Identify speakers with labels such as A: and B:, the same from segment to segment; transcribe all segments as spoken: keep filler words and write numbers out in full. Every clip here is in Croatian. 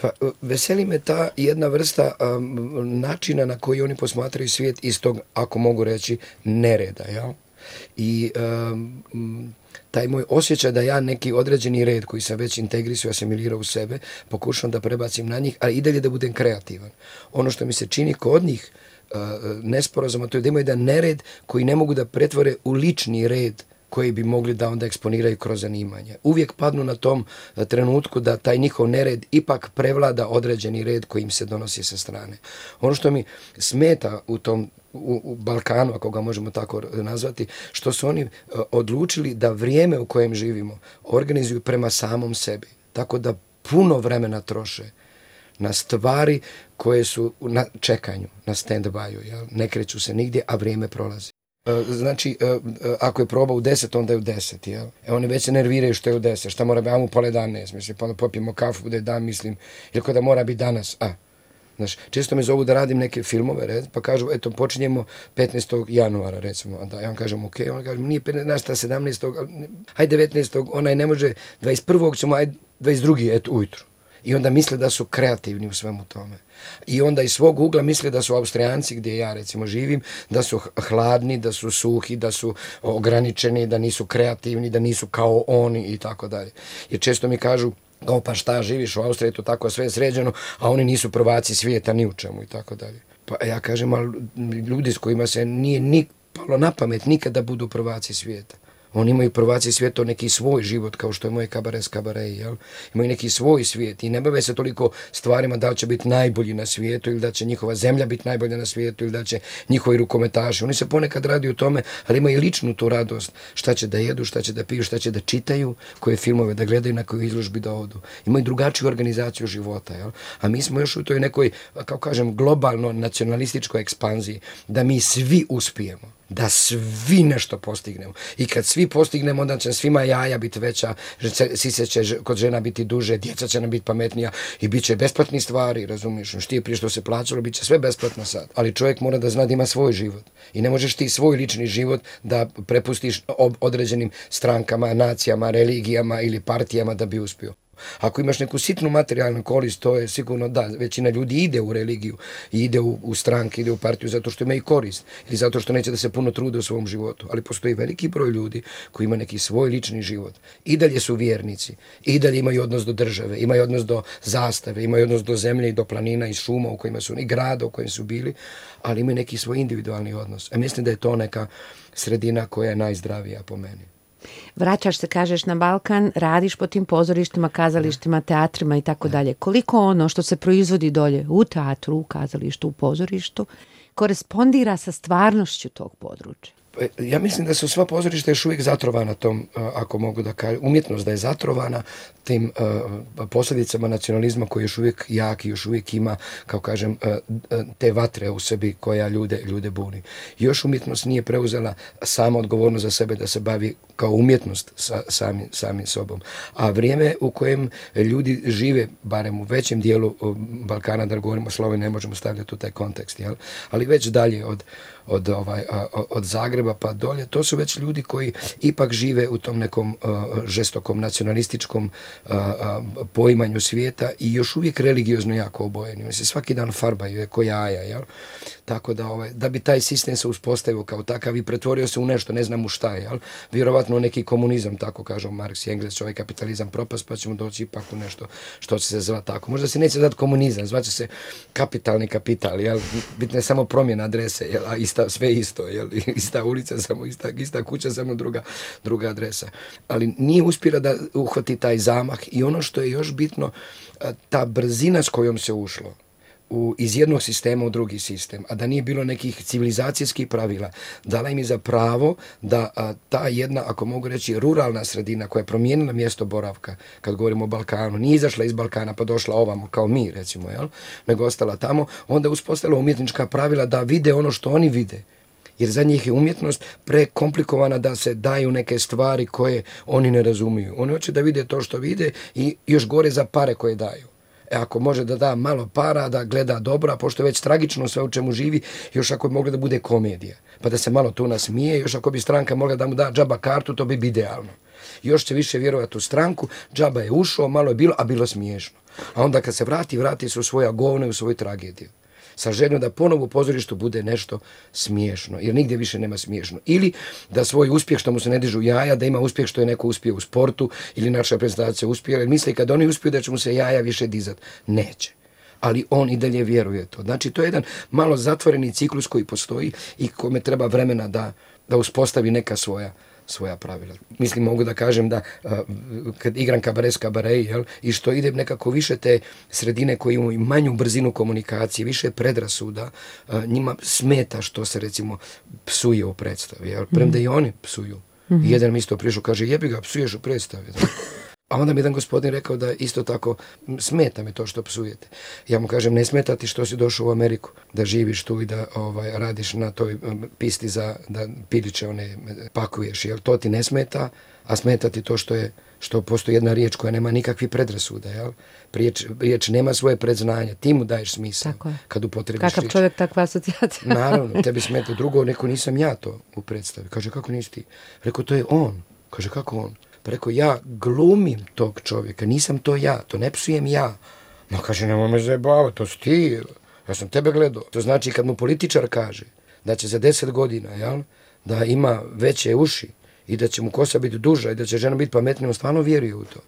A: Pa veseli me ta jedna vrsta um, načina na koji oni posmatraju svijet iz tog, ako mogu reći, nereda, jel? I um, taj moj osjećaj da ja neki određeni red koji sam već integrisao, asimilirao u sebe, pokušam da prebacim na njih, ali i dalje da budem kreativan. Ono što mi se čini kod njih uh, nesporazuma, to je da imaju jedan nered koji ne mogu da pretvore u lični red koji bi mogli da onda eksponiraju kroz zanimanje. Uvijek padnu na tom trenutku da taj njihov nered ipak prevlada određeni red koji im se donosi sa strane. Ono što mi smeta u tom u, u Balkanu, ako ga možemo tako nazvati, što su oni uh, odlučili da vrijeme u kojem živimo organizuju prema samom sebi. Tako da puno vremena troše na stvari koje su na čekanju, na stand-by-u. Ne kreću se nigdje, a vrijeme prolazi. Znači, ako je proba u deset, onda je u deset, jel? E, oni već se nerviraju što je u deset, šta mora biti, a mu pola dan ne smisli, pa onda popijemo kafu, bude dan, mislim, jer kada mora biti danas, a. Znaš, često me zovu da radim neke filmove, red, pa kažu, eto, počinjemo petnaestog januara, recimo, onda ja vam kažem, ok, on kaže, nije petnaestog, sedamnaestog, hajde devetnaestog, onaj ne može, dvadeset prvog ćemo, hajde dvadeset drugog eto, ujutru. I onda misle da su kreativni u svemu tome. I onda iz svog ugla misle da su Austrijanci, gdje ja recimo živim, da su hladni, da su suhi, da su ograničeni, da nisu kreativni, da nisu kao oni i tako dalje. Jer često mi kažu, o pa šta, živiš u Austriji, to tako sve sređeno, a oni nisu prvaci svijeta ni u čemu i tako dalje. Pa ja kažem, ali ljudi s kojima se nije ni palo na pamet nikada budu prvaci svijeta. Oni imaju prvaci svijeta neki svoj život, kao što je moj kabaret kabaret, jel? Imaju neki svoj svijet i ne bave se toliko stvarima da li će biti najbolji na svijetu ili da će njihova zemlja biti najbolja na svijetu ili da će njihovi rukometaši. Oni se ponekad radi o tome, ali imaju ličnu tu radost. Šta će da jedu, šta će da piju, šta će da čitaju, koje filmove da gledaju, na koju izložbi da odu. Imaju drugačiju organizaciju života, jel? A mi smo još u toj nekoj, kao kažem, globalno nacionalističkoj ekspanziji, da mi svi uspijemo. Da svi nešto postignemo. I kad svi postignemo, onda će svima jaja biti veća, sise će kod žena biti duže, djeca će nam biti pametnija i bit će besplatni stvari, razumiješ? Što je prije što se plaćalo, bit će sve besplatno sad. Ali čovjek mora da zna da ima svoj život. I ne možeš ti svoj lični život da prepustiš određenim strankama, nacijama, religijama ili partijama da bi uspio. Ako imaš neku sitnu materijalnu korist, to je sigurno da, većina ljudi ide u religiju, ide u, u stranke, ide u partiju zato što ima i korist ili zato što neće da se puno trude u svom životu. Ali postoji veliki broj ljudi koji ima neki svoj lični život. I dalje su vjernici, i dalje imaju odnos do države, imaju odnos do zastave, imaju odnos do zemlje i do planina i šuma u kojima su, i grada u kojim su bili, ali imaju neki svoj individualni odnos. A mislim da je to neka sredina koja je najzdravija po meni.
B: Vraćaš se, kažeš, na Balkan, radiš po tim pozorištima, kazalištima, teatrima i tako dalje. Koliko ono što se proizvodi dolje u teatru, u kazalištu, u pozorištu, korespondira sa stvarnošću tog područja?
A: Ja mislim da su sva pozorišta još uvijek zatrovana tom, ako mogu da kažem, umjetnost da je zatrovana tim uh, posljedicama nacionalizma koji još uvijek jak i još uvijek ima, kao kažem, uh, te vatre u sebi koja ljude, ljude buni. Još umjetnost nije preuzela sama odgovornost za sebe da se bavi kao umjetnost sa, sami, sami sobom. A vrijeme u kojem ljudi žive, barem u većem dijelu Balkana, da govorimo o Sloveniji, ne možemo stavljati u taj kontekst, jel? Ali već dalje od Od, ovaj, od Zagreba pa dolje, to su već ljudi koji ipak žive u tom nekom uh, žestokom nacionalističkom uh, uh, poimanju svijeta i još uvijek religiozno jako obojeni. Oni se svaki dan farbaju, je ko jaja, jel? Tako da, ovaj, da bi taj sistem se uspostavio kao takav i pretvorio se u nešto, ne znam u šta, jel? Vjerovatno neki komunizam, tako kažu Marks i Engels, ovaj kapitalizam propast, pa ćemo doći ipak u nešto što će se zvati tako. Možda se neće dati komunizam, zvaće se kapitalni kapital, jel? Bitna je samo promjena adrese, jel? A ista, sve isto, jel? Ista ulica, samo ista, ista kuća, samo druga, druga adresa. Ali nije uspjela da uhvati taj zamah i ono što je još bitno, ta brzina s kojom se ušlo u, iz jednog sistema u drugi sistem, a da nije bilo nekih civilizacijskih pravila, dala im je za pravo da a, ta jedna, ako mogu reći, ruralna sredina koja je promijenila mjesto boravka, kad govorimo o Balkanu, nije izašla iz Balkana pa došla ovamo, kao mi recimo, jel? Nego ostala tamo, onda uspostavila umjetnička pravila da vide ono što oni vide. Jer za njih je umjetnost prekomplikovana da se daju neke stvari koje oni ne razumiju. Oni hoće da vide to što vide i još gore za pare koje daju. E ako može da da malo para, da gleda dobro, a pošto je već tragično sve u čemu živi, još ako bi mogla da bude komedija, pa da se malo tu nasmije, još ako bi stranka mogla da mu da džaba kartu, to bi bi idealno. Još će više vjerovati u stranku, džaba je ušao, malo je bilo, a bilo smiješno. A onda kad se vrati, vrati se u svoja govna i u svoju tragediju. Sa željom da ponovo u pozorištu bude nešto smiješno, jer nigdje više nema smiješno. Ili da svoj uspjeh što mu se ne dižu jaja, da ima uspjeh što je neko uspio u sportu ili naša prezentacija uspjela, jer misli kad oni uspiju da će mu se jaja više dizati. Neće. Ali on i dalje vjeruje to. Znači, to je jedan malo zatvoreni ciklus koji postoji i kome treba vremena da, da uspostavi neka svoja svoja pravila. Mislim, mogu da kažem da uh, kad igram kabare s kabare, jel, i što ide nekako više te sredine koje imaju manju brzinu komunikacije, više predrasuda, uh, njima smeta što se recimo psuje u predstavi. Jel? Premda i oni psuju. Mm-hmm. Jedan mi isto prišao, kaže, jebi ga, psuješ u predstavi. A onda mi jedan gospodin rekao da isto tako smeta me to što psujete. Ja mu kažem, ne smeta ti što si došao u Ameriku, da živiš tu i da ovaj, radiš na toj pisti za da piliće one pakuješ, jer to ti ne smeta, a smeta ti to što je što postoji jedna riječ koja nema nikakvih predrasuda, jel? Riječ, riječ nema svoje predznanje, ti mu daješ smisao kad upotrebiš riječ.
B: Kakav čovjek, takva asocijacija.
A: Naravno, tebi smeta. Drugo, neko nisam ja to u predstavi. Kaže, kako nisi ti? Rekao, to je on. Kaže, kako on? Pa rekao, ja glumim tog čovjeka, nisam to ja, to ne psujem ja. No, kaže, nemoj me zajebavati, to si ti, ja sam tebe gledao. To znači kad mu političar kaže da će za deset godina, jel, da ima veće uši i da će mu kosa biti duža i da će žena biti pametnija, on stvarno vjeruje u to.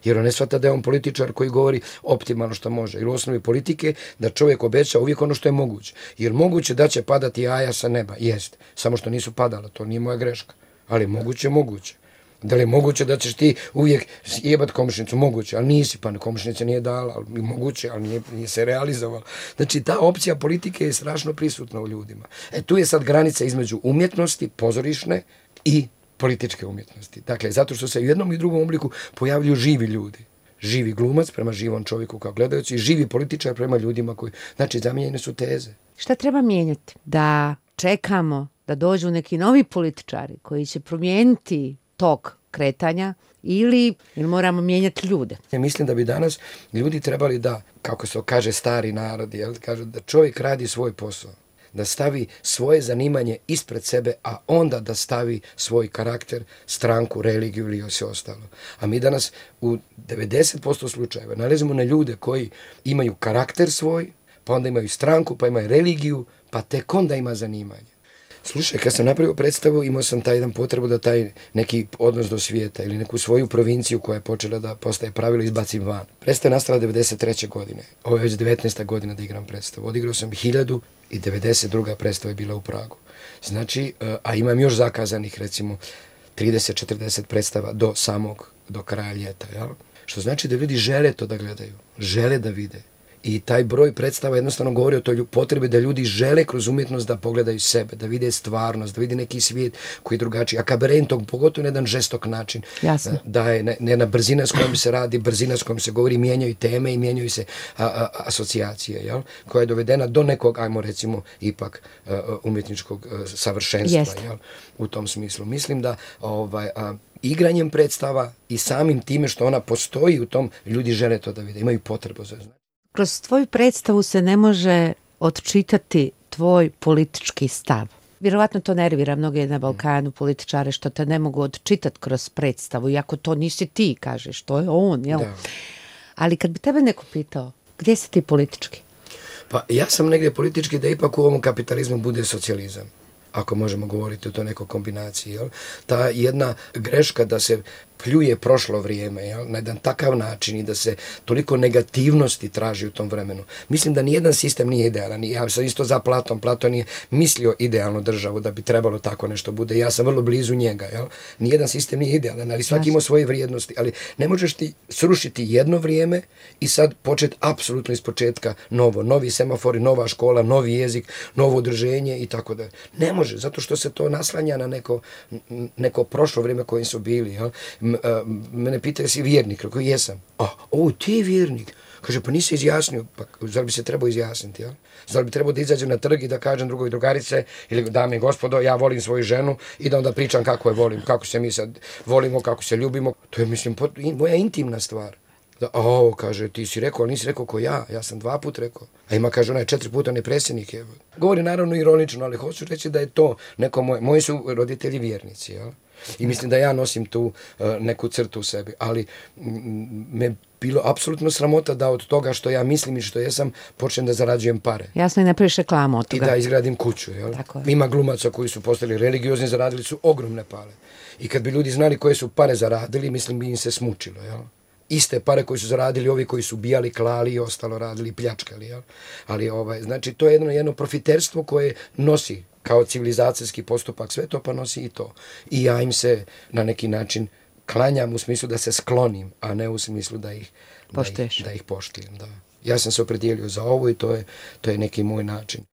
A: Jer on ne shvata da je on političar koji govori optimalno što može. Jer u osnovi politike da čovjek obeća uvijek ono što je moguće. Jer moguće da će padati jaja sa neba, jest, samo što nisu padala, to nije moja greška. Ali moguće, moguće. Da li je moguće da ćeš ti uvijek jebat komšnicu? Moguće, ali nisi, pa komšnica nije dala, ali moguće, ali nije, nije se realizovala. Znači, ta opcija politike je strašno prisutna u ljudima. E, tu je sad granica između umjetnosti, pozorišne i političke umjetnosti. Dakle, zato što se u jednom i drugom obliku pojavljuju živi ljudi. Živi glumac prema živom čovjeku kao gledajući i živi političar prema ljudima koji... Znači, zamijenjene su teze.
B: Šta treba mijenjati? Da čekamo da dođu neki novi političari koji će promijeniti tok kretanja ili, ili moramo mijenjati ljude?
A: Ja mislim da bi danas ljudi trebali da, kako se kaže stari narod, jel, kažu da čovjek radi svoj posao, da stavi svoje zanimanje ispred sebe, a onda da stavi svoj karakter, stranku, religiju ili sve ostalo. A mi danas u devedeset posto slučajeva nalazimo na ljude koji imaju karakter svoj, pa onda imaju stranku, pa imaju religiju, pa tek onda ima zanimanje. Slušaj, kad sam napravio predstavu, imao sam taj jedan potrebu da taj neki odnos do svijeta ili neku svoju provinciju koja je počela da postaje pravilo izbacim van. Predstava je nastala devedeset treće godine. Ovo je već devetnaesta godina da igram predstavu. Odigrao sam hiljadu i devedeset druga predstava je bila u Pragu. Znači, a imam još zakazanih recimo trideset četrdeset predstava do samog, do kraja ljeta. Jel? Što znači da ljudi žele to da gledaju, žele da vide. I taj broj predstava jednostavno govori o toj potrebi da ljudi žele kroz umjetnost da pogledaju sebe, da vide stvarnost, da vide neki svijet koji je drugačiji. A kabare tog pogotovo na jedan žestok način.
B: Jasno.
A: Da je jedna brzina s kojom se radi, brzina s kojom se govori, mijenjaju teme i mijenjaju se a, a, asocijacije, jel? Koja je dovedena do nekog, ajmo recimo, ipak a, umjetničkog a, savršenstva. Jel? U tom smislu. Mislim da ovaj, a, igranjem predstava i samim time što ona postoji u tom, ljudi žele to da vide, imaju potrebu za znanje.
B: Kroz tvoju predstavu se ne može odčitati tvoj politički stav. Vjerovatno to nervira mnoge na Balkanu političare što te ne mogu odčitati kroz predstavu, iako to nisi ti, kažeš, to je on, jel? Da. Ali kad bi tebe neko pitao, gdje si ti politički?
A: Pa ja sam negdje politički da ipak u ovom kapitalizmu bude socijalizam, ako možemo govoriti o to nekoj kombinaciji. Jel? Ta jedna greška da se pljuje prošlo vrijeme, jel? Na jedan takav način i da se toliko negativnosti traži u tom vremenu. Mislim da nijedan sistem nije idealan. Ja sam isto za Platon. Platon je mislio idealnu državu da bi trebalo tako nešto bude. Ja sam vrlo blizu njega. Jel? Nijedan sistem nije idealan, ali svaki ima svoje vrijednosti. Ali ne možeš ti srušiti jedno vrijeme i sad početi apsolutno iz početka novo. Novi semafori, nova škola, novi jezik, novo udruženje i tako da. Ne može, zato što se to naslanja na neko, neko prošlo vrijeme kojim su bili. Jel? Mene pitaju si vjernik, rekao jesam. A, o, ti je vjernik. Kaže, pa nisi izjasnio, pa zar bi se trebao izjasniti, jel? Zar bi trebao da izađem na trg i da kažem drugoj drugarice ili dame i gospodo, ja volim svoju ženu i da onda pričam kako je volim, kako se mi sad volimo, kako se ljubimo. To je, mislim, moja intimna stvar. Da, o, kaže, ti si rekao, ali nisi rekao ko ja, ja sam dva put rekao. A ima, kaže, onaj četiri puta ne predsjednik je. Govori naravno ironično, ali hoću reći da je to neko moj, moji su roditelji vjernici, jel? I mislim da ja nosim tu uh, neku crtu u sebi, ali m, me bilo apsolutno sramota da od toga što ja mislim i što jesam počnem da zarađujem pare.
B: Jasno, i ne praviš reklamu od
A: I
B: toga.
A: da izgradim kuću. Jel? Ima glumaca koji su postali religiozni, zaradili su ogromne pare. I kad bi ljudi znali koje su pare zaradili, mislim bi im se smučilo. Jel? Iste pare koji su zaradili ovi koji su bijali, klali i ostalo radili, pljačkali. Jel? Ali ovaj, znači to je jedno, jedno profiterstvo koje nosi kao civilizacijski postupak sve to, pa nosi i to. I ja im se na neki način klanjam u smislu da se sklonim, a ne u smislu da ih, da ih, da ih poštujem. Da. Ja sam se opredijelio za ovo i to je, to je neki moj način.